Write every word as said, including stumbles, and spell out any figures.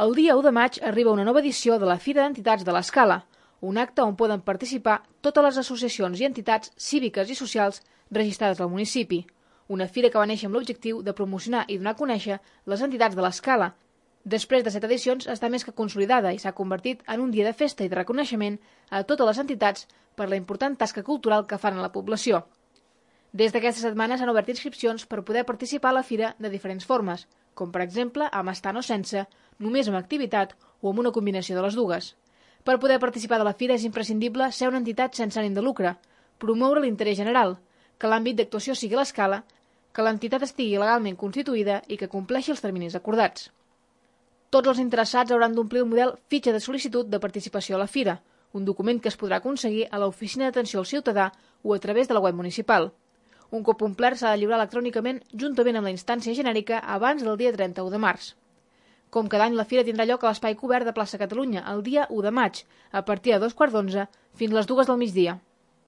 El dia u de maig arriba una nova edició de la Fira d'Entitats de l'Escala, un acte on poden participar totes les associacions i entitats cíviques i socials registrades al municipi. Una fira que va néixer amb l'objectiu de promocionar i donar a conèixer les entitats de l'Escala. Després de set edicions està més que consolidada i s'ha convertit en un dia de festa i de reconeixement a totes les entitats per la important tasca cultural que fan a la població. Des d'aquesta setmana s'han obert inscripcions per poder participar a la fira de diferents formes, com per exemple amb estant o sense, només amb activitat o amb una combinació de les dues. Per poder participar de la fira és imprescindible ser una entitat sense ànim de lucre, promoure l'interès general, que l'àmbit d'actuació sigui l'Escala, que l'entitat estigui legalment constituïda i que compleixi els terminis acordats. Tots els interessats hauran d'omplir el model Fitxa de sol·licitud de participació a la fira, un document que es podrà aconseguir a l'Oficina d'Atenció al Ciutadà o a través de la web municipal. Un cop omplert s'ha de lliurar electrònicament juntament amb la instància genèrica abans del dia trenta-u de març. Com cada any, la fira tindrà lloc a l'Espai Cobert de Plaça Catalunya el dia u de maig, a partir de dos quarts d'onze fins les dues del migdia.